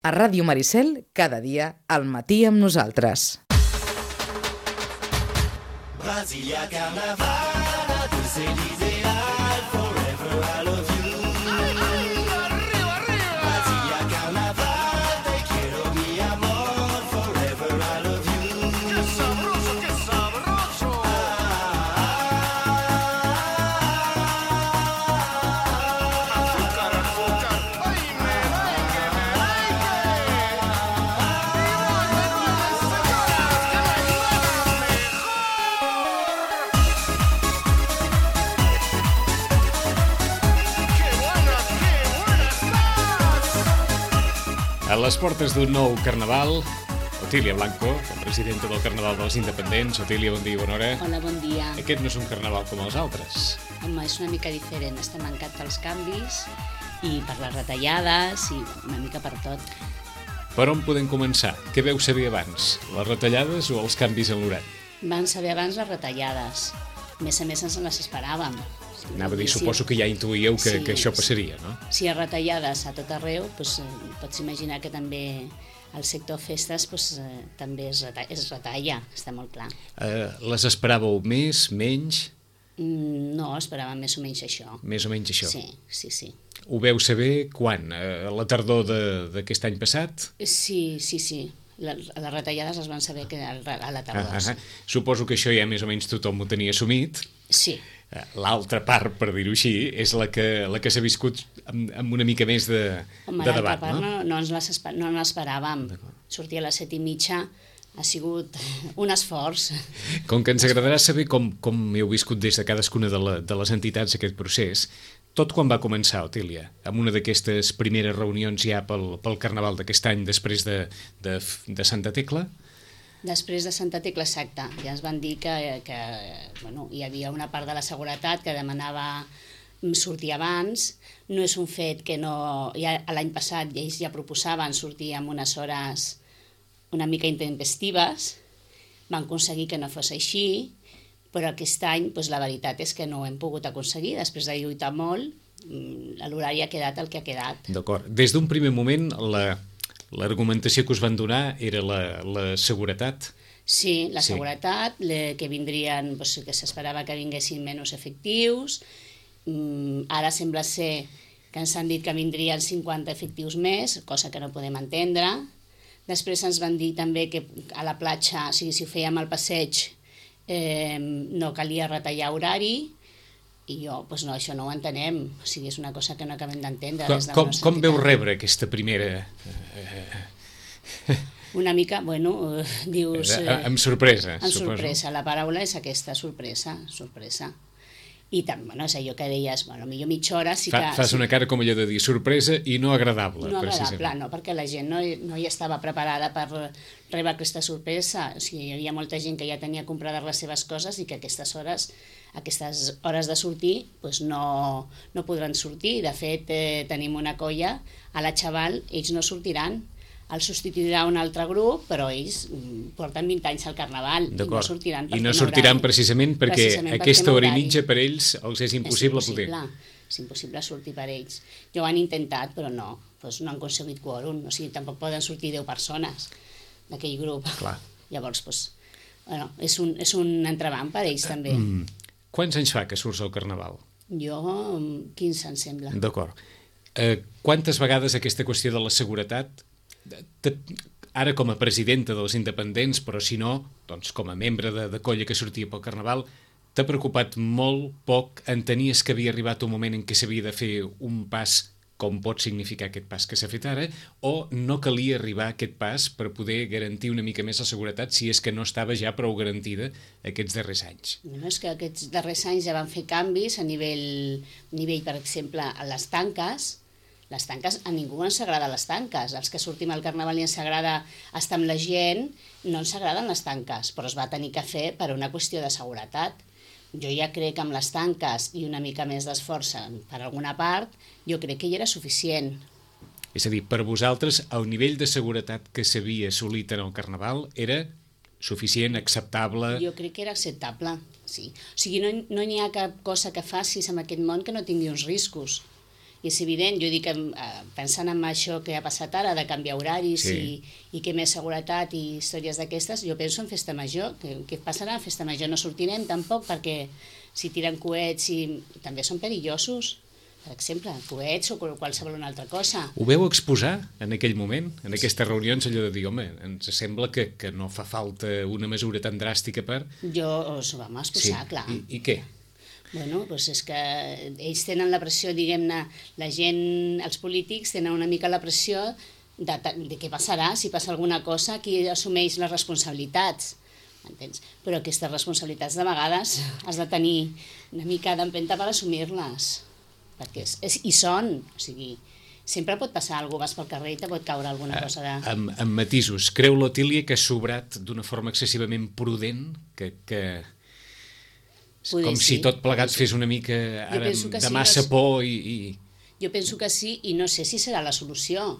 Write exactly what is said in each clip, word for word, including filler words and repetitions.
A Ràdio Maricel, cada dia, al matí amb nosaltres. Brasilia Carnaval, Dulce-Liseal, forever I love you. Arriba, arriba. Brasilia Carnaval, te quiero mi amor, forever I love you. Qué sabroso, qué sabroso. Azúcar, azúcar, ay me like, me like. A les portes d'un nou carnaval, Otília Blanco, la presidenta del Carnaval dels Independents. Otília, bon dia, bona hora. Hola, bon dia. Aquest no és un carnaval com els altres. Home, és una mica diferent. Estem mancat pels canvis i per les retallades i una mica per tot. Per on podem començar? Què veu saber abans? Les retallades o els canvis en l'horari? Van saber abans les retallades. A més a més, ens les esperàvem. Anava a dir, suposo que ja intuïeu que, Sí, que això passaria, no? Si hi ha retallades a tot arreu, doncs, eh, pots imaginar que també el sector festes doncs, eh, també es, reta es retalla, està molt clar. Eh, les esperàveu més, menys? Mm, no, esperàvem més o menys això. Més o menys això? Sí, sí, sí. Ho veu saber quan? Eh, a la tardor d'aquest any passat? Sí, sí, sí. La, les retallades es van saber que a la tardor. Ah, ah, ah. Suposo que això ja més o menys tothom ho tenia assumit. Sí. L'altra part, per dir-ho així, és la que, la que s'ha viscut amb, amb una mica més de, Home, de debat, part, no? No, no ens l'esper- no l'esperàvem. Sortir a les set i mitja ha sigut un esforç. Com que ens agradarà saber com, com heu viscut des de cadascuna de, la, de les entitats aquest procés, tot quan va començar, Otília? Amb una d'aquestes primeres reunions ja pel, pel Carnaval d'aquest any, després de, de, de Santa Tecla? Després de Santa Tecla, exacte, ja ens van dir que, que bueno, hi havia una part de la seguretat que demanava sortir abans. No és un fet que no... Ja, l'any passat ells ja proposaven sortir amb unes hores una mica intempestives, van aconseguir que no fos així, però aquest any doncs, la veritat és que no ho hem pogut aconseguir. Després de lluitar molt, l'horari ha quedat el que ha quedat. D'acord. Des d'un primer moment, la... l'argumentació que us van donar era la, la seguretat? Sí, la Sí. seguretat, le, que vindrien, doncs, que s'esperava que vinguessin menys efectius. Mm, ara sembla ser que ens han dit que vindrien cinquanta efectius més, cosa que no podem entendre. Després ens van dir també que a la platja, o sigui, si ho fèiem al passeig, eh, no calia retallar horari, i jo, doncs no, això no ho entenem. O sigui, és una cosa que no acabem d'entendre. Com, des de la com, nostra com veu entitat. rebre aquesta primera... Una mica, bueno, eh, dius... Eh, Eh, amb sorpresa, amb suposo. sorpresa, la paraula és aquesta, sorpresa, sorpresa. I tant, bueno, és allò que deies, bueno, millor mitja hora sí que... Fa, fas sí, una cara com allò de dir sorpresa i no agradable. no agradable, precisament. no, perquè la gent no, no hi estava preparada per rebre aquesta sorpresa. O sigui, hi havia molta gent que ja tenia comprades les seves coses i que aquestes hores, aquestes hores de sortir, doncs no, no podran sortir. De fet, eh, tenim una colla, a la Xaval, ells no sortiran. El substituirà un altre grup, però ells mm, porten vint anys al Carnaval i no D'acord. sortiran. I perquè no no sortiran horari. precisament perquè Precisament perquè aquesta no hora i horari. mitja per ells els és impossible, és poder. impossible. És impossible sortir per ells. Jo ho han intentat, però no, doncs no han aconseguit quòrum. O sigui, tampoc poden sortir deu persones d'aquell grup. Clar. Llavors, doncs, bueno, és un, és un entrebanc per ells també. Mm. Quants anys fa que surts al Carnaval? Jo, mm, quinze, em sembla. D'acord. Eh, quantes vegades aquesta qüestió de la seguretat, te, ara com a presidenta dels independents, però si no, doncs com a membre de, de colla que sortia pel Carnaval, t'ha preocupat molt poc? Entenies que havia arribat un moment en què s'havia de fer un pas com pot significar aquest pas que s'ha fet ara, o no calia arribar a aquest pas per poder garantir una mica més la seguretat si és que no estava ja prou garantida aquests darrers anys? No, és que aquests darrers anys ja van fer canvis a nivell, nivell per exemple, a les tanques. Les tanques, a ningú ens agrada les tanques. Els que sortim al Carnaval i ens agrada estar amb la gent, no ens agraden les tanques, però es va tenir que fer per una qüestió de seguretat. Jo ja crec que amb les tanques i una mica més d'esforç per alguna part, jo crec que ja era suficient. És a dir, per vosaltres, el nivell de seguretat que s'havia assolit en el Carnaval era suficient, acceptable... Jo crec que era acceptable, sí. O sigui, no, no hi ha cap cosa que facis en aquest món que no tingui uns riscos. I és evident, jo dic, eh, pensant en això que ha passat ara, de canviar horaris Sí. i, i que més seguretat i històries d'aquestes, jo penso en festa major. Què, què passarà a festa major? No sortirem tampoc, perquè si tiren coets i també són perillosos, per exemple, coets o qualsevol una altra cosa. Ho veu exposar en aquell moment, en aquestes reunions, allò de dir, home, ens sembla que, que no fa falta una mesura tan dràstica per... Jo us ho vam exposar, clar. I, I què? Bueno, doncs és que ells tenen la pressió, diguem-ne, la gent, els polítics tenen una mica la pressió de, de què passarà, si passa alguna cosa, qui assumeix les responsabilitats, m'entens? Però aquestes responsabilitats de vegades has de tenir una mica d'empenta per assumir-les, perquè és, és, hi són, o sigui, sempre pot passar alguna cosa, vas pel carrer i te pot caure alguna cosa de... Amb, amb matisos, creu l'Otília que ha sobrat d'una forma excessivament prudent, que... que... Poder com sí, si tot plegat poder sí. fes una mica ara, penso que de sí, massa no és- por i... i... Jo penso que sí, i no sé si serà la solució,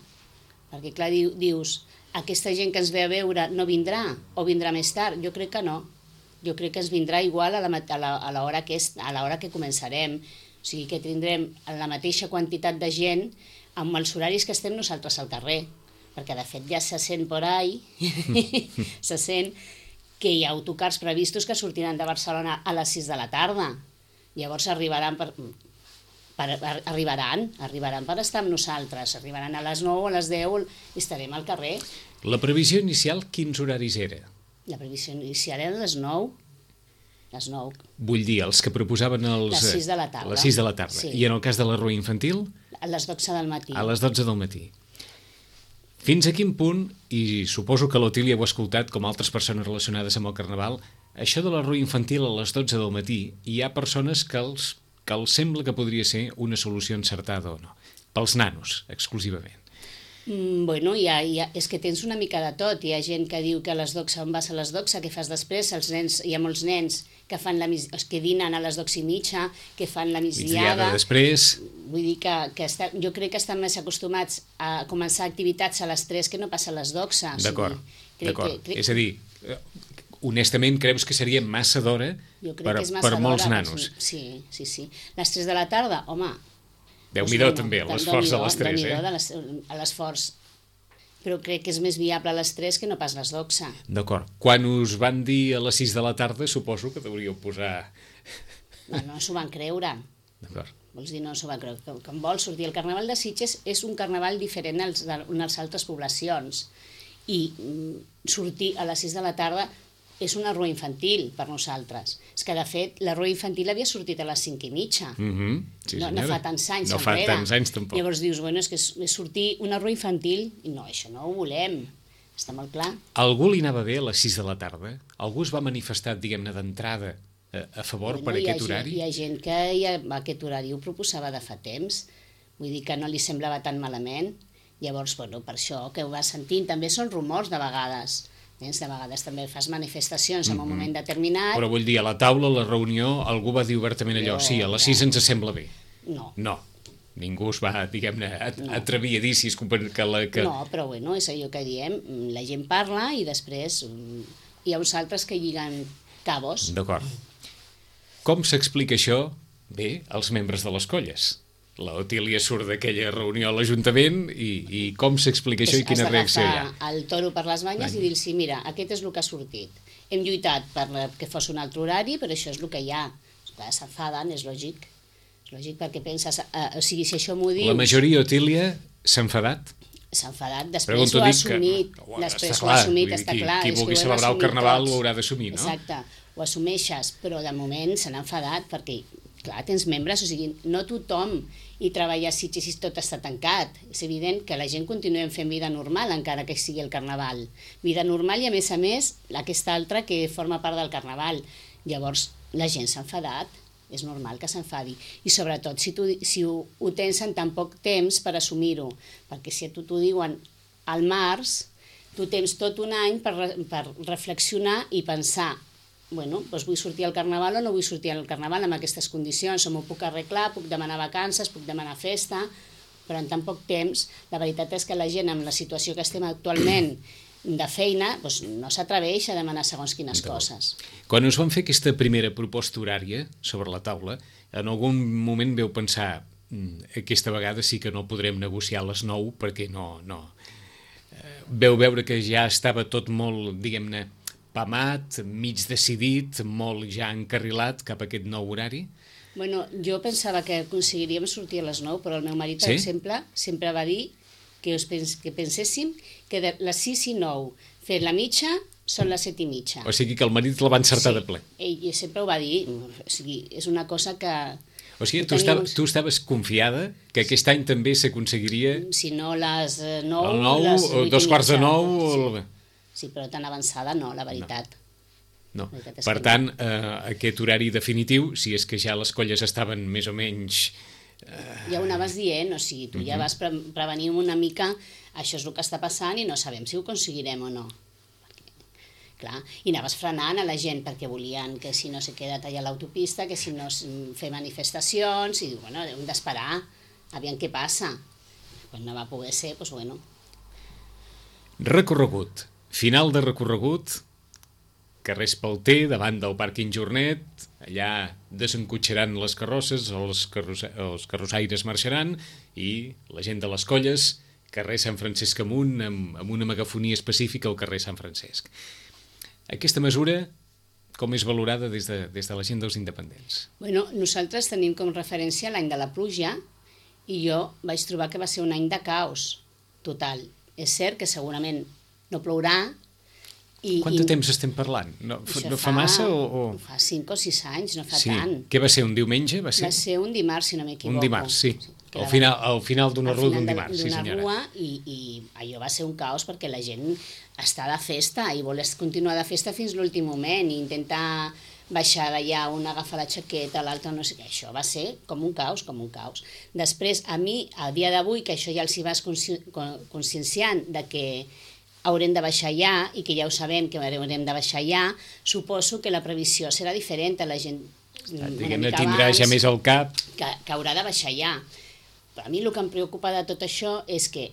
perquè clar, diu, dius, aquesta gent que ens ve a veure no vindrà, o vindrà més tard. Jo crec que no. Jo crec que ens vindrà igual a la, mat- a la, a l'hora que, és, a l'hora que començarem. O sigui que tindrem la mateixa quantitat de gent amb els horaris que estem nosaltres al carrer, perquè de fet ja se sent por ahí, se sent que hi ha autocars previstos que sortiran de Barcelona a les sis de la tarda. Llavors arribaran per, per, arribaran, arribaran per estar amb nosaltres, arribaran a les nou o a les deu i estarem al carrer. La previsió inicial, quins horaris era? La previsió inicial era les nou, les nou, Vull dir, els que proposaven els... Les sis de la tarda. A les sis de la tarda. Sí. I en el cas de la rua infantil, a les dotze del matí. a les dotze del matí. Fins a quin punt, i suposo que l'Otília ho ha escoltat com altres persones relacionades amb el Carnaval, això de la rua infantil a les dotze del matí, hi ha persones que els, que els sembla que podria ser una solució encertada o no. Pels nanos, exclusivament. Mm, bueno, hi ha, hi ha, és que tens una mica de tot. Hi ha gent que diu que a les dotze, on vas a les dotze, què fas després? Els nens, hi ha molts nens que fan la, mis- que dinen a les dotze i mitja, que fan la Migdiada migdiada. després... Vull dir que, que està, jo crec que estan més acostumats a començar activitats a les tres que no passa a les dotze. O sigui, D'acord, crec d'acord. que- crec- És a dir, eh, honestament, creus que seria massa d'hora Jo crec per, que és massa per molts d'hora, nanos? pels- Sí, sí, sí. Les tres de la tarda, home... Déu-n'hi-do doncs, també, bueno, l'esforç de Déu-n'hi-do, les tres, Déu-n'hi-do eh? de les- a l'esforç. Però crec que és més viable a les tres que no pas a les dotze. D'acord. Quan us van dir a les sis de la tarda, suposo que deuríeu posar... No, no s'ho van creure. D'acord. Vols dir, no s'ho van creure. Que, que en vol sortir. El Carnaval de Sitges és un carnaval diferent als de unes altres poblacions. I mm, sortir a les sis de la tarda és una rua infantil per nosaltres. És que, de fet, la rua infantil havia sortit a les cinc i mitja. Mm -hmm. Sí, no, no senyora. fa tants anys No fa enrere. tants anys, tampoc. Llavors dius, bueno, és que és, és sortir una rua infantil i no, això no ho volem. Està molt clar. Algú li anava bé a les sis de la tarda? Algú es va manifestar, diguem-ne, d'entrada a, a favor per hi ha aquest gent- horari? Hi ha gent que ja, aquest horari ho proposava de fa temps, vull dir que no li semblava tan malament. Llavors, bueno, per això que ho va sentint, també són rumors de vegades. Tens, de vegades també fas manifestacions en un moment determinat. Però vull dir, a la taula, a la reunió, algú va dir obertament allò, Jo, sí, a les ja. sis ens sembla bé. No, No, ningú es va, diguem-ne, atrevir a dir si es compar- que la... Que... no, però bueno, és allò que diem, la gent parla i després mm, hi ha uns altres que lliguen cabos. D'acord. Com s'explica això? Bé, als membres de les colles. La Otília surt d'aquella reunió a l'Ajuntament i, i com s'explica això i quina reacció hi ha? Has d'agafar el toro per les banyes i dir-los, mira, aquest és el que ha sortit. Hem lluitat per que fos un altre horari, però això és el que hi ha. Clar, s'enfaden, és lògic. És lògic perquè penses, eh, o sigui, si això m'ho dius... La majoria, Otília, s'ha enfadat? S'ha enfadat, després Pregunto, ho ha dic que- assumit, Ho- després està ho ha clar, assumit, vull dir, està qui- clar. qui és que vulgui ho hem celebrar el assumit Carnaval tots. ho haurà d'assumir, no? Exacte, ho assumeixes, però de moment se n'ha enfadat perquè, clar, tens membres, o sigui, no tothom hi treballa a Sitges i tot està tancat. És evident que la gent continuem fent vida normal, encara que sigui el Carnaval. Vida normal i, a més a més, aquesta altra que forma part del Carnaval. Llavors, la gent s'ha enfadat, és normal que s'enfadi. I sobretot, si, tu, si ho, ho tens en tan poc temps per assumir-ho, perquè si a tu t'ho diuen al març, tu tens tot un any per, re- per reflexionar i pensar, bueno, doncs vull sortir al Carnaval o no vull sortir al Carnaval amb aquestes condicions, o m'ho puc arreglar, puc demanar vacances, puc demanar festa, però en tan poc temps, la veritat és que la gent amb la situació que estem actualment de feina, doncs no s'atreveix a demanar segons quines coses. Quan us van fer aquesta primera proposta horària sobre la taula, en algun moment veu pensar aquesta vegada sí que no podrem negociar a les nou perquè no... no. Veu veure que ja estava tot molt, diguem-ne, pamat, mig decidit, molt ja encarrilat cap a aquest nou horari? Bueno, jo pensava que aconseguiríem sortir a les nou, però el meu marit, per Sí? exemple, sempre va dir que, us pens que penséssim que de les sis i nou fer la mitja són les set i mitja. O sigui que el marit la va encertar de ple. Ell sempre ho va dir, o sigui, és una cosa que... O sigui, que tu, estava, teníem- tu estaves confiada que aquest any també s'aconseguiria Si no les eh, nou... el nou, les o vuit i dos quarts de mitja. nou... O el... Sí, però tan avançada no, la veritat. No. La veritat és Per que tant, eh, aquest horari definitiu, si és que ja les colles estaven més o menys... Ja ho anaves dient, o sigui, tu ja vas pre prevenir una mica això és el que està passant i no sabem si ho aconseguirem o no. Perquè, clar, i anaves frenant a la gent perquè volien que si no se queda tallar l'autopista, que si no es- fer manifestacions, i bueno, hem d'esperar, aviam què passa. Quan no va poder ser, doncs bueno. Recorregut. Final de recorregut, carrers Pelter, davant del pàrquing Jornet, allà desencotxaran les carrosses, els, carrossa els carrossaires marxaran i la gent de les colles, carrer Sant Francesc amunt, amb, amb una megafonia específica al carrer Sant Francesc. Aquesta mesura, com és valorada des de, des de la gent dels independents? Bueno, nosaltres tenim com referència l'any de la pluja i jo vaig trobar que va ser un any de caos total. És cert que segurament no plourà. I, Quant de temps estem parlant? No, Això no fa massa o...? o... Fa cinc o sis anys, no fa Sí. tant. Què va ser, un diumenge? Va ser, Va ser un dimarts, si no m'equivoco. un dimarts, sí. Que Al la- final, al final d'una al rua final d'un de- dimarts, sí d'una senyora. rua, i, i allò va ser un caos perquè la gent està de festa i vol continuar de festa fins l'últim moment i intentar baixar d'allà, un agafar la jaqueta, l'altre no sé què, això va ser com un caos, com un caos. Després, a mi, a dia d'avui, que això ja els hi vas consci con- conscienciant de que haurem de baixar ja i que ja ho sabem que haurem de baixar ja, suposo que la previsió serà diferent a la gent una Diguem-ne, mica tindrà abans, ja més al cap. que, que haurà de baixar ja. Però a mi el que em preocupa de tot això és que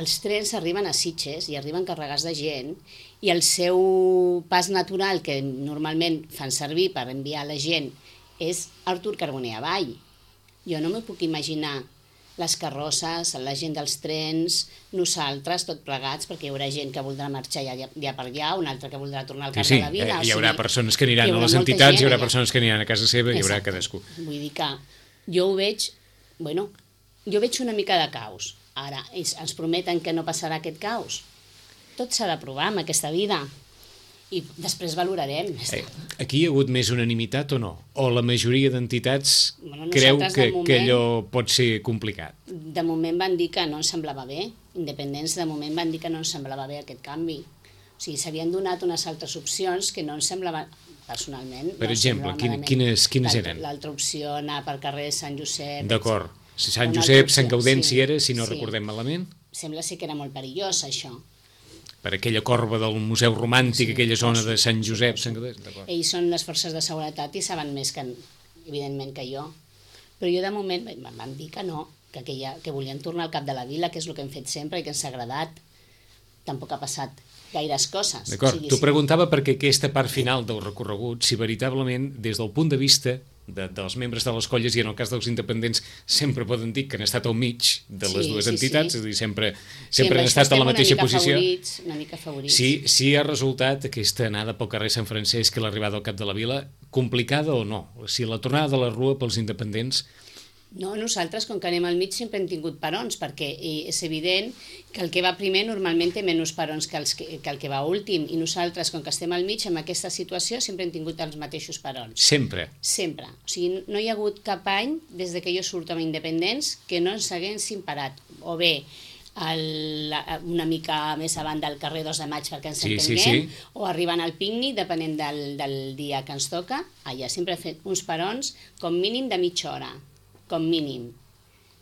els trens arriben a Sitges i arriben carregats de gent i el seu pas natural que normalment fan servir per enviar la gent és Artur Carboner avall. Jo no m'ho puc imaginar les carrosses, la gent dels trens, nosaltres, tot plegats, perquè hi haurà gent que voldrà marxar ja, ja per allà, una altra que voldrà tornar al Sí, cap sí, de la vida. eh, o hi haurà sigui, persones que aniran hi a haurà les molta entitats, gent hi haurà allà. persones que aniran a casa seva, hi haurà Exacte. cadascú. Vull dir que jo ho veig, bueno, jo veig una mica de caos. Ara, ells ens prometen que no passarà aquest caos. Tot s'ha de provar en aquesta vida. I després valorarem. Eh, aquí hi ha hagut més unanimitat o no? O la majoria d'entitats Bueno, creu nosaltres, que, de moment- que allò pot ser complicat? De moment van dir que no ens semblava bé. Independents, de moment van dir que no ens semblava bé aquest canvi. O sigui, s'havien donat unes altres opcions que no ens semblaven personalment. Per no ens exemple, semblava quin- malament. quines- quines L'altra- eren? L'altra opció, anar pel carrer Sant Josep. D'acord. Si Sant Una Josep, altra Sant opció, Gaudenci sí, era, si no sí. recordem malament, Sembla ser que era molt perillós, això. per aquella corba del Museu Romàntic, Sí, aquella zona de suposo, Sant Josep, suposo. Sant Gaudenci, d'acord. Ells són les forces de seguretat i saben més, que, evidentment, que jo. Però jo, de moment, em van dir que no, que, aquella, que volien tornar al cap de la vila, que és el que hem fet sempre i que ens ha agradat. Tampoc ha passat gaires coses. D'acord, O sigui, t'ho sí. preguntava perquè aquesta part final del recorregut, si veritablement, des del punt de vista de, dels membres de les colles, i en el cas dels independents, sempre poden dir que han estat al mig de les Sí, dues sí, entitats, sí. és a dir, sempre, Sí, sempre amb han això estat a estem la mateixa una mica posició. Favorits, una mica favorits. Sí, sí ha resultat aquesta anada pel carrer Sant Francesc i l'arribada al cap de la vila complicada o no? O sigui, la tornada de la rua pels independents, No, nosaltres, com que anem al mig, sempre hem tingut perons, perquè eh, és evident que el que va primer normalment té menys perons que, els que, que el que va últim, i nosaltres, com que estem al mig, en aquesta situació, sempre hem tingut els mateixos perons. sempre. Sempre. O sigui, no hi ha hagut cap any, des de que jo surto amb Independents, que no ens haguessin parat. O bé el, una mica més avant del carrer dos de maig perquè ens Sí, sí, entenguem, sí. o arribant al pícnic, depenent del, del dia que ens toca. Allà sempre he fet uns perons com mínim de mitja hora, com mínim.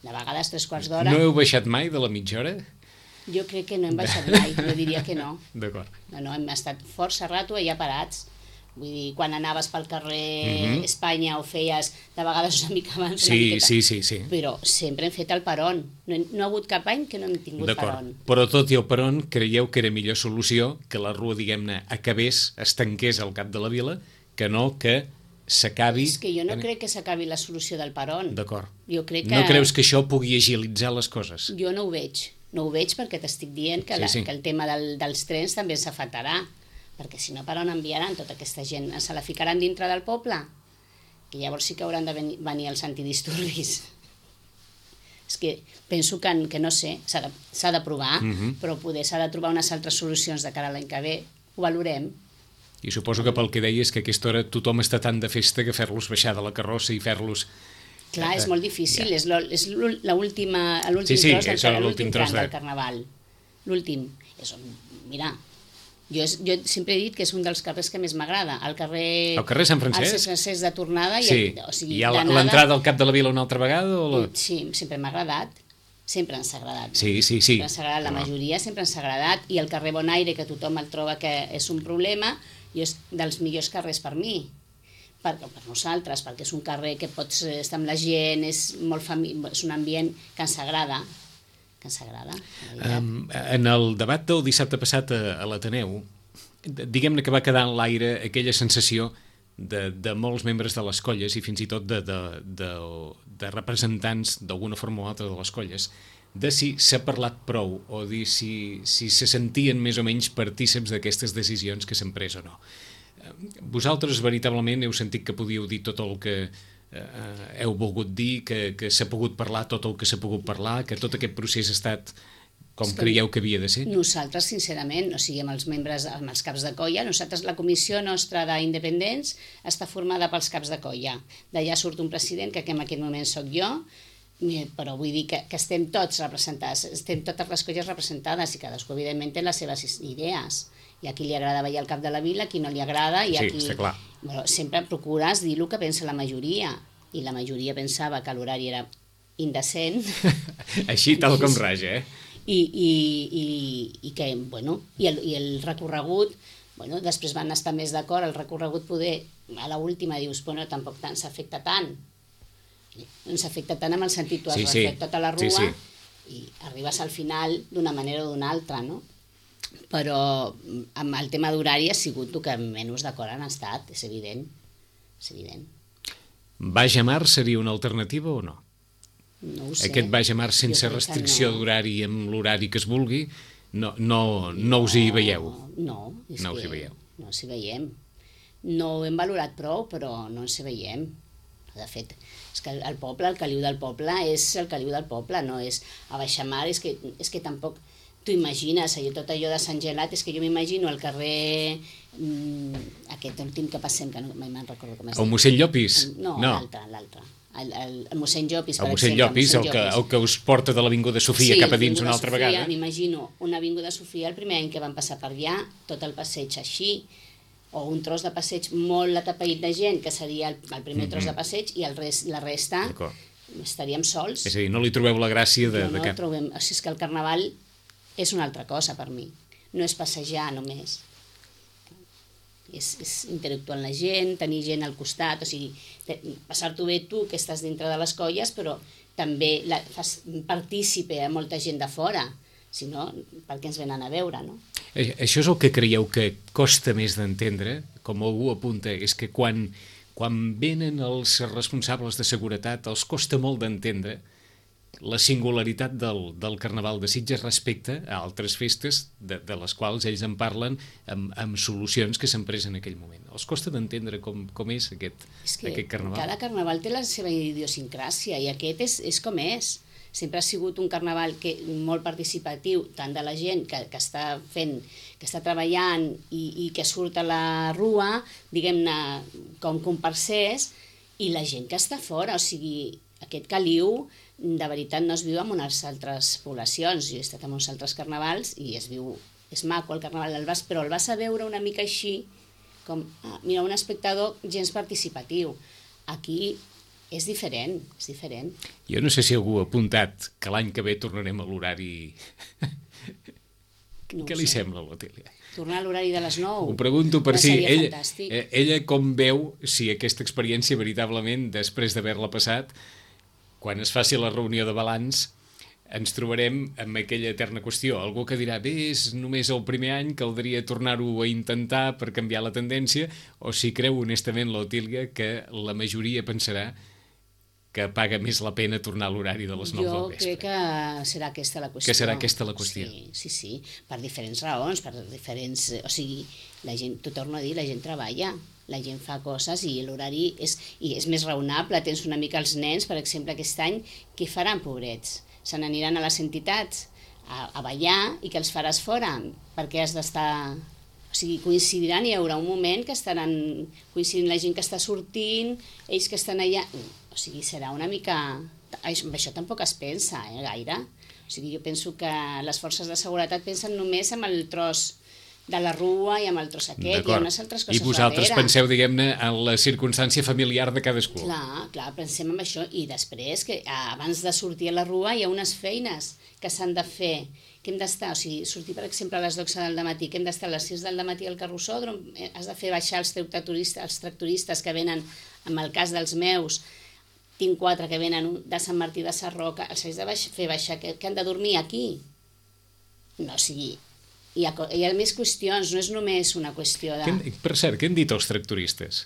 De vegades tres quarts d'hora. No heu baixat mai de la mitja hora? Jo crec que no hem baixat mai, jo diria que no. D'acord. No, no, hem estat força rato allà parats. Vull dir, quan anaves pel carrer Mhm. Espanya o feies de vegades una mica abans, una Sí, miqueta, sí, sí, sí. però sempre hem fet el peron. No, he- no ha hagut cap any que no hem tingut D'acord. peron. Però tot i el peron, creieu que era millor solució que la rua, diguem-ne, acabés, es tanqués al cap de la vila, que no que s'acabi... És que jo no crec que s'acabi la solució del Peron. D'acord. Jo crec que... No creus que això pugui agilitzar les coses? Jo no ho veig. No ho veig perquè t'estic dient que, Sí, la, sí. que el tema del, dels trens també s'afectarà. Perquè si no, per on enviaran tota aquesta gent? Se la ficaran dintre del poble? Que llavors sí que hauran de venir, venir els antidisturbis. És que penso que, que no sé, s'ha de, s'ha de provar, Mhm. però poder s'ha de trobar unes altres solucions de cara a l'any que ve. Ho valorem. I suposo que pel que deies que a aquesta hora tothom està tan de festa que fer-los baixar de la carrossa i fer-los... Clar, és molt difícil, Ja. és lo- és l'úl- l'última- l'últim Sí, sí, tros, del, és l'últim l'últim tros tram de- del Carnaval. L'últim. És on, mira, jo, és, jo sempre he dit que és un dels carrers que més m'agrada. El carrer... El carrer Sant Francesc? El Sant Francesc de tornada. Sí, I, o sigui, hi ha la- d'anada- l'entrada al cap de la vila una altra vegada? O la... Sí, sempre m'ha agradat. Sempre ens ha agradat. Sí, sí, sí. Sempre ens ha agradat, la No. majoria sempre ens ha agradat. I el carrer Bonaire, que tothom el troba que és un problema, i és dels millors carrers per mi. Per, per nosaltres, perquè és un carrer que pots estar amb la gent, és, molt fami és un ambient que ens agrada. Que ens agrada, la veritat. Um, en el debat del dissabte passat a, a l'Ateneu, diguem-ne que va quedar en l'aire aquella sensació de, de molts membres de les colles i fins i tot de, de, de, de representants d'alguna forma o altra de les colles, de si s'ha parlat prou o dir si, si se sentien més o menys partíceps d'aquestes decisions que s'han pres o no. Vosaltres veritablement heu sentit que podíeu dir tot el que eh, heu volgut dir, que, que s'ha pogut parlar tot el que s'ha pogut parlar, que tot aquest procés ha estat com És que creieu que havia de ser? Nosaltres, sincerament, o sigui, amb els membres, amb els caps de colla, nosaltres, la comissió nostra d'independents està formada pels caps de colla. D'allà surt un president, que en aquest moment sóc jo, eh, però vull dir que, que estem tots representats, estem totes les colles representades i cadascú, evidentment, té les seves idees. I a qui li agrada veure el cap de la vila, a qui no li agrada, i a Sí, qui... està clar. Bueno, sempre procures dir el que pensa la majoria, i la majoria pensava que l'horari era indecent, Així tal com raja, eh? i, i, i, i que, bueno, i el, i el recorregut, bueno, després van estar més d'acord, el recorregut poder, a l'última dius, bueno, tampoc tant s'afecta tant, no s'afecta tant amb el sentit, tu has Sí, sí. refet tota la rua, Sí, sí. i arribes al final d'una manera o d'una altra, no? Però amb el tema d'horari ha sigut el que menys d'acord han estat, és evident, és evident. Baix a mar seria una alternativa o no? No ho sé. Aquest baix a mar Jo sense crec que restricció no. d'horari amb l'horari que es vulgui, no, no, no us hi veieu? No, és No us hi que veieu. no ens hi veiem. No ho hem valorat prou, però no ens hi veiem. De fet, és que el, el poble, el caliu del poble, és el caliu del poble, no és a baixamar, és que, és que tampoc t'ho imagines, allò, tot allò de Sant Gelat, és que jo m'imagino el carrer mm, aquest últim que passem, que no mai me'n recordo com es El diu. mossèn Llopis? No, no. l'altre, l'altre. El, el, el mossèn Llopis, per El mossèn exemple. Llopis, el mossèn que, Llopis. el que us porta de l'Avinguda Sofia Sí, cap a dins l'Avinguda una altra Sofia, vegada? M'imagino una avinguda Sofia el primer any que van passar per allà, tot el passeig així, o un tros de passeig molt atapeït de gent, que seria el, el primer tros de passeig, i el rest, la resta D'acord. estaríem sols. És a dir, no li trobeu la gràcia de, no, de no cap... trobem... O sigui, és que el carnaval és una altra cosa per mi. No és passejar només. És, és interactuar amb la gent, tenir gent al costat, o sigui, te- passar-t'ho bé tu, que estàs dintre de les colles, però també la, fas partícipe a molta gent de fora, si no, per què ens venen a veure, no? Eh, Això és el que creieu que costa més d'entendre, com algú apunta, és que quan, quan venen els responsables de seguretat els costa molt d'entendre la singularitat del, del Carnaval de Sitges respecte a altres festes de, de les quals ells en parlen amb, amb solucions que s'han pres en aquell moment. Els costa d'entendre com, com és aquest, És que aquest Carnaval. cada carnaval té la seva idiosincràsia i aquest és, és com és. Sempre ha sigut un carnaval que, molt participatiu, tant de la gent que, que està fent, que està treballant i, i que surt a la rua, diguem-ne, com comparsers, i la gent que està fora. O sigui, aquest caliu, de veritat, no es viu en unes altres poblacions. Jo he estat en uns altres carnavals i es viu, és maco el carnaval, el vas, però el vas a veure una mica així, com, ah, mira, un espectador gens participatiu. Aquí és diferent, és diferent. Jo no sé si algú ha apuntat que l'any que ve tornarem a l'horari... No Què ho li sé. sembla, l'Otília? Tornar a l'horari de les nou. Ho pregunto per Ja si seria ella, fantàstic. eh, ella com veu si aquesta experiència veritablement, després d'haver-la passat, quan es faci la reunió de balanç, ens trobarem amb aquella eterna qüestió. Algú que dirà, bé, és només el primer any, caldria tornar-ho a intentar per canviar la tendència, o si creu honestament l'Otília que la majoria pensarà que paga més la pena tornar a l'horari de les nou Jo del vespre. crec que serà aquesta la qüestió. Que serà aquesta la qüestió. Sí, sí, sí, per diferents raons, per diferents... O sigui, la gent, t'ho torno a dir, la gent treballa, la gent fa coses i l'horari és, i és més raonable. Tens una mica els nens, per exemple, aquest any, què faran, pobrets? Se n'aniran a les entitats a, a ballar i que els faràs fora, perquè has d'estar... O sigui, coincidiran, hi haurà un moment que estaran coincidint la gent que està sortint, ells que estan allà... O sigui, serà una mica... Amb això tampoc es pensa, eh, gaire. O sigui, jo penso que les forces de seguretat pensen només amb el tros de la rua i amb el tros aquest, hi ha unes altres coses I vosaltres darrere. penseu, diguem-ne, en la circumstància familiar de cadascú. Clar, clar, pensem en això. I després, que abans de sortir a la rua hi ha unes feines que s'han de fer, que hem d'estar, o sigui, sortir, per exemple, a les dotze del matí, que hem d'estar a les sis del matí al carrossòdrom, has de fer baixar els tractoristes, els tractoristes que venen, en el cas dels meus, tinc quatre que venen de Sant Martí de Sarroca, els haig de baix, fer baixar, que, que han de dormir aquí. No, o sigui, hi ha, hi ha més qüestions, no és només una qüestió de... Què, per cert, què han dit els tractoristes?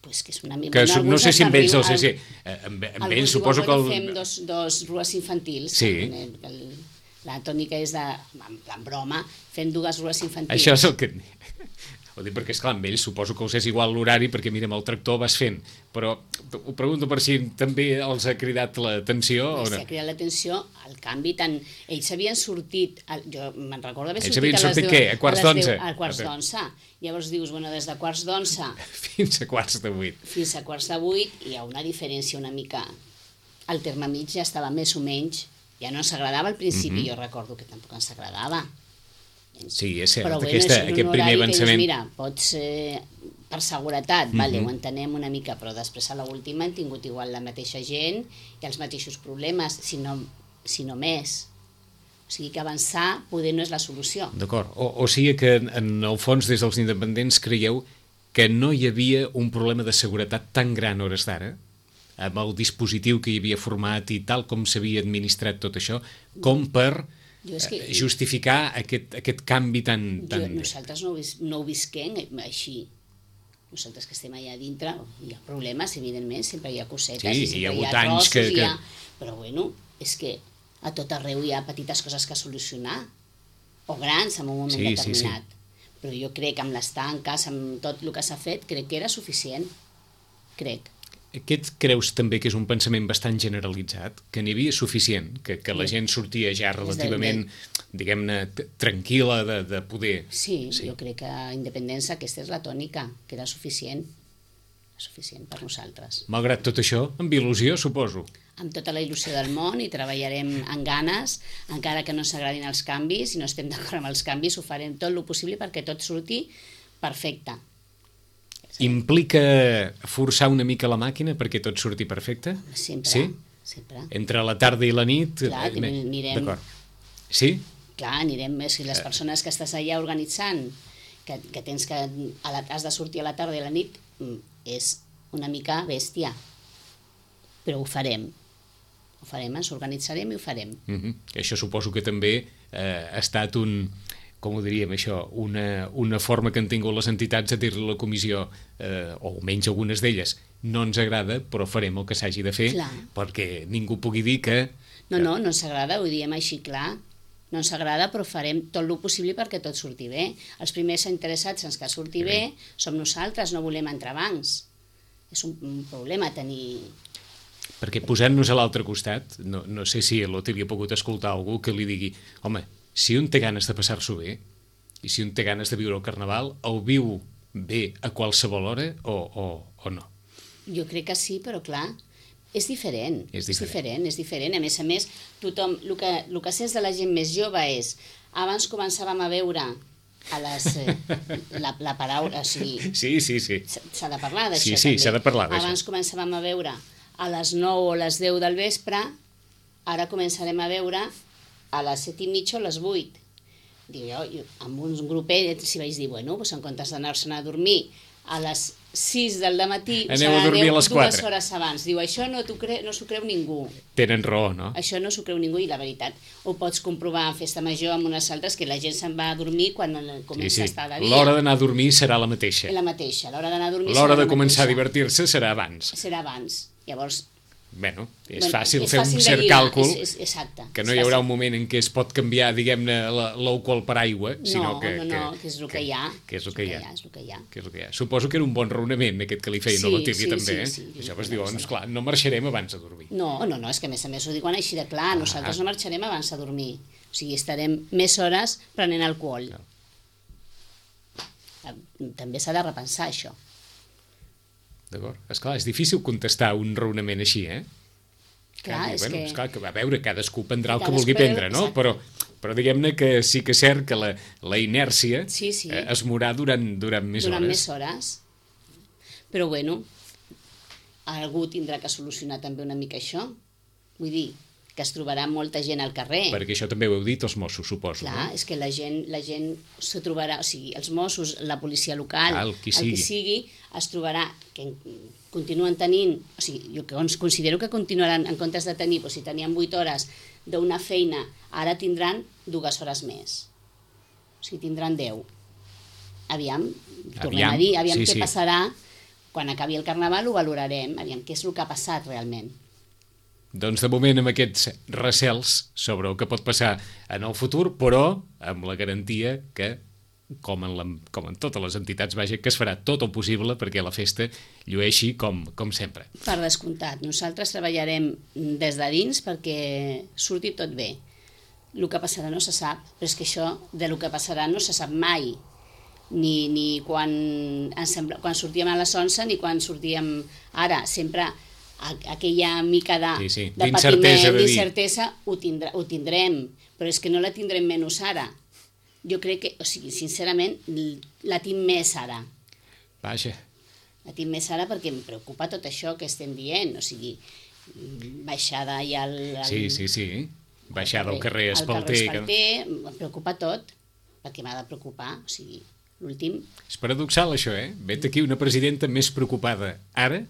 Pues que és una mica... Que bueno, no sé si amb ells, riu, no sé si... eh, Amb, amb ells suposo que... El... El... Fem dos, dos rues infantils. Sí. El, el, la tònica és de... En plan broma, fem dues rues infantils. Això és el que... Ho dic perquè, esclar, amb ells suposo que els és igual l'horari, perquè, mira, amb el tractor vas fent. Però ho pregunto per si també els ha cridat l'atenció o no? S'ha cridat l'atenció, el canvi tant... Ells havien sortit... Jo me'n recordo haver Ells sortit havien a les sortit deu... què? A quarts les deu- d'onze? A quarts d'onze. Llavors dius, bueno, des de quarts d'onze Fins a quarts de vuit. fins a quarts de vuit hi ha una diferència una mica... El terme mig ja estava més o menys... Ja no ens agradava al principi, Mhm. jo recordo que tampoc ens agradava. Sí, és cert, Però bueno, aquesta, és un aquest primer horari que avançament... dius, mira, pots, eh, per seguretat, mm -hmm. vale, Mhm. ho entenem una mica, però després a l'última han tingut igual la mateixa gent i els mateixos problemes, si no, si no més. O sigui que avançar poder no és la solució. D'acord, o, o sigui que en, en el fons des dels independents creieu que no hi havia un problema de seguretat tan gran a hores d'ara, amb el dispositiu que hi havia format i tal com s'havia administrat tot això, com per Jo és que, eh, justificar aquest, aquest canvi tan... tan... jo, nosaltres no ho, vis, no ho visquem així. Nosaltres que estem allà dintre, hi ha problemes, evidentment, sempre hi ha cosetes, Sí, i sempre hi ha hagut hi ha anys trossos, que- hi ha... que- Però bueno, és que a tot arreu hi ha petites coses que solucionar, o grans en un moment Sí, sí, sí. determinat. Però jo crec que amb les tanques, amb tot el que s'ha fet, crec que era suficient. Crec. Aquest creus també que és un pensament bastant generalitzat, que n'hi havia suficient, que, que la gent sortia ja relativament, diguem-ne, t- tranquil·la de, de poder... Sí, sí, jo crec que a independència aquesta és la tònica, que era suficient. Suficient per nosaltres. Malgrat tot això, amb il·lusió, suposo. Amb tota la il·lusió del món i treballarem amb ganes, encara que no s'agradin els canvis i no estem d'acord amb els canvis, ho farem tot el possible perquè tot surti perfecte. Implica forçar una mica la màquina perquè tot surti perfecte? Sempre, Sí? sempre. Entre la tarda i la nit? Clar, eh, me- anirem- D'acord. Sí? Clar, anirem, si les persones que estàs allà organitzant, que, que tens que a la, has de sortir a la tarda i a la nit, mm, és una mica bèstia. Però ho farem. Ho farem, ens organitzarem i ho farem. Mhm. Això suposo que també eh, ha estat un, com ho diríem això, una, una forma que han tingut les entitats de dir-li a la comissió, eh, o almenys algunes d'elles, no ens agrada, però farem el que s'hagi de fer, Clar. perquè ningú pugui dir que... No, no, no ens agrada, ho diem així clar. No ens agrada, però farem tot el possible perquè tot surti bé. Els primers interessats en que surti bé som nosaltres, no volem entrebancs. És un, un problema tenir... Perquè posant-nos a l'altre costat, no, no sé si l'Otília ha pogut escoltar algú que li digui, home, si un té ganes de passar-s'ho bé, i si un té ganes de viure el Carnaval, el viu bé a qualsevol hora o, o, o no? Jo crec que sí, però clar, és diferent. És És diferent. diferent, és diferent. A més a més, tothom, el que, el que sents de la gent més jove és, abans començàvem a veure a les, eh, la, la paraula, o sigui, Sí, sí, sí. s'ha de parlar d'això Sí, sí, també. s'ha de parlar d'això. Abans començàvem a veure a les nou o les deu del vespre, ara començarem a veure a les set i mitja o a les vuit. Diu, jo, jo, amb un grupet, si vaig dir, bueno, doncs en comptes d'anar-se'n a dormir a les sis del matí, Aneu a dormir a les dues quatre. hores abans. Diu, això no t'ho cre... no s'ho creu ningú. Tenen raó, no? Això no s'ho creu ningú i la veritat ho pots comprovar en festa major amb unes altres que la gent se'n va a dormir quan comença Sí, sí. a estar de dia. L'hora d'anar a dormir serà la mateixa. La mateixa, l'hora d'anar a dormir L'hora serà de la començar a mateixa. divertir-se serà abans. Serà abans. Llavors, Bueno, és bueno, fàcil és fer fàcil un de cert lligar, càlcul, és, és, exacte, que no és hi haurà fàcil. un moment en què es pot canviar, diguem-ne, la- l'ou qual paraigua, sinó No, que... no, no, que és el que hi ha. Que és el que hi ha. És el que hi ha. Que és el que hi ha. Suposo que era un bon raonament aquest que li feien Sí, a l'Otília sí, també, eh? sí, sí. Això vas dir, doncs clar, no marxarem abans de dormir. No, no, no, és que a més a més ho diuen així de clar, nosaltres Ah. no marxarem abans de dormir. O sigui, estarem més hores prenent alcohol. No. També s'ha de repensar això. D'acord? Esclar, és difícil contestar un raonament així, eh? Clar, Que, és bueno, que... esclar, que a veure, cadascú prendrà el que Cadascú vulgui prendrà- prendre, no? exacte. Però, però diguem-ne que sí que és cert que la, la inèrcia Sí, sí. eh, es morà durant, durant més durant hores. més hores. Però bueno, algú tindrà que solucionar també una mica això. Vull dir, que es trobarà molta gent al carrer. Perquè això també ho heu dit els Mossos, suposo, Clar, no? és que la gent, la gent se trobarà, o sigui, els Mossos, la policia local, Ah, el qui el sigui. qui sigui, es trobarà que continuen tenint, o sigui, jo que cons- considero que continuaran, en comptes de tenir, doncs, si tenien vuit hores d'una feina, ara tindran dues hores més. O sigui, tindran deu. Aviam, tornem Aviam, a dir, aviam sí, què sí. passarà, quan acabi el Carnaval ho valorarem, aviam què és el que ha passat realment. Doncs de moment amb aquests recels sobre el que pot passar en el futur, però amb la garantia que, com en, la, com en totes les entitats, vaja, que es farà tot el possible perquè la festa llueixi com, com sempre. Per descomptat, nosaltres treballarem des de dins perquè surti tot bé. El que passarà no se sap, però és que això de lo que passarà no se sap mai. Ni, ni quan, ens sembla, quan sortíem a les onze ni quan sortíem ara. Sempre a- aquella mica de, Sí, sí, de d'incertesa patiment, de dir. d'incertesa, ho, tindrà, ho tindrem, però és que no la tindrem menys ara. Jo crec que, o sigui, sincerament, l- la tinc més ara. Vaja, La tinc més ara perquè em preocupa tot això que estem dient, o sigui, baixada i el... el sí, sí, sí. Baixar del carrer el Espalter. carrer que- Espalter, em preocupa tot, perquè m'ha de preocupar, o sigui, l'últim... És paradoxal això, eh? Vet aquí una presidenta més preocupada ara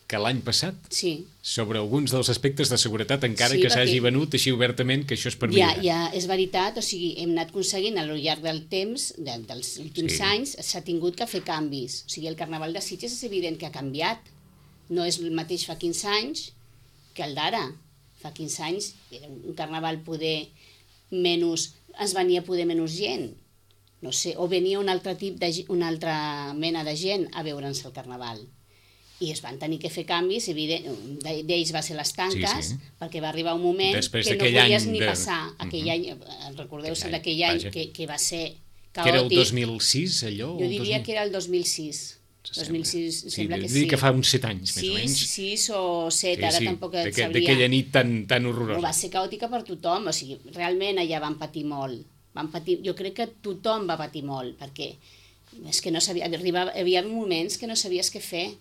que l'any passat Sí, sobre alguns dels aspectes de seguretat, encara Sí, que s'hagi perquè- venut així obertament que això és per ja, millorar. ja és veritat, o sigui, hem anat aconseguint al llarg del temps, de, dels últims Sí. sí. anys, s'ha tingut que fer canvis. O sigui, el Carnaval de Sitges és evident que ha canviat. No és el mateix fa quinze anys que el d'ara. Fa quinze anys era un Carnaval poder menys, ens venia poder menys gent. No sé, o venia un altre tip de, ge- una altra mena de gent a veure'ns el Carnaval. I es van tenir que fer canvis, evident, de- d'ells va ser les tanques, Sí, sí. perquè va arribar un moment Després que no d'aquell podies any ni de- passar. Aquell Mhm. any, eh, recordeu-se Aquell any, d'aquell any vaja. que, que va ser Que era el caòtic. dos mil sis, allò? Jo el diria dos mil? que era el dos mil sis. dos mil sis, Sí, sembla que dir sí. que fa uns set anys, més o sis, menys. sis o set, ara tampoc et d'aquell- sabria. D'aquella nit tan, tan Però horrorosa. va ser caòtica per tothom, o sigui, realment allà van patir molt. Van patir, jo crec que tothom va patir molt, perquè és que no sabia, arribava, hi havia moments que no sabies què fer.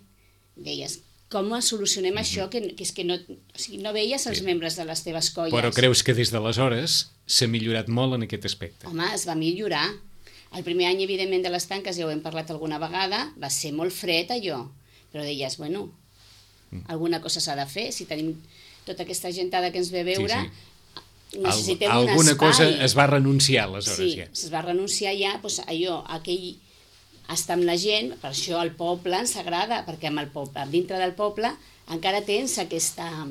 Deies, com solucionem això, que, que és que no, o sigui, no veies els Sí. membres de les teves colles. Però creus que des d'aleshores s'ha millorat molt en aquest aspecte? Home, es va millorar. El primer any, evidentment, de les tanques, ja ho hem parlat alguna vegada, va ser molt fred allò, però deies, bueno, alguna cosa s'ha de fer, si tenim tota aquesta gentada que ens ve a veure, Sí, necessitem Al, un alguna espai. cosa es va renunciar aleshores Sí, ja. es va renunciar ja doncs, allò, aquell estar amb la gent, per això el poble ens agrada, perquè amb el poble, dintre del poble encara tens aquesta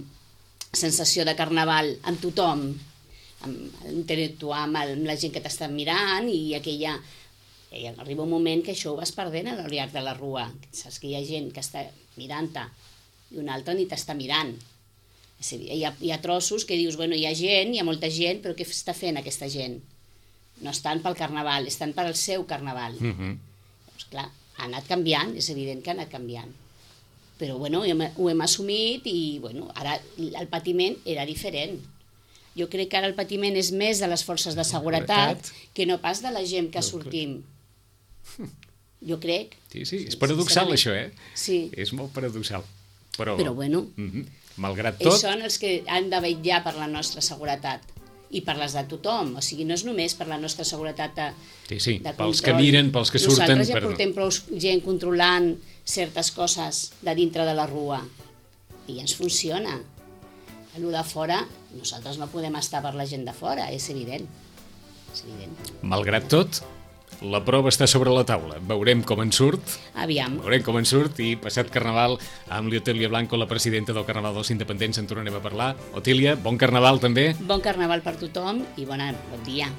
sensació de carnaval amb tothom, amb interactuar amb, el, amb la gent que t'està mirant i aquella... I arriba un moment que això ho vas perdent al llarg de la rua. Saps que hi ha gent que està mirant-te i una altra ni t'està mirant. És a dir, hi ha, hi ha trossos que dius, bueno, hi ha gent, hi ha molta gent, però què està fent aquesta gent? No estan pel carnaval, estan per al seu carnaval. Uh -huh. Doncs clar, ha anat canviant, és evident que ha anat canviant. Però bueno, ho hem, ho hem assumit i bueno, ara el patiment era diferent. Jo crec que ara el patiment és més de les forces de seguretat que no pas de la gent que sortim. Jo crec. Sí, sí, és paradoxal sincerament. això, eh? Sí, És molt paradoxal. Però, però bueno, uh -huh. malgrat ells tot, són els que han de vetllar per la nostra seguretat i per les de tothom, o sigui, no és només per la nostra seguretat de, Sí, sí, de pels control. que miren, pels que surten... Nosaltres ja per- portem prou gent controlant certes coses de dintre de la rua i ens funciona. El de fora, nosaltres no podem estar per la gent de fora, és evident. És evident. Malgrat tot, la prova està sobre la taula. Veurem com en surt, Aviam. veurem com en surt i passat Carnaval amb l'Otília Blanco, la presidenta del Carnaval dels Independents, en tornarem a parlar. Otília, bon Carnaval també. Bon Carnaval per tothom i bona, bon dia.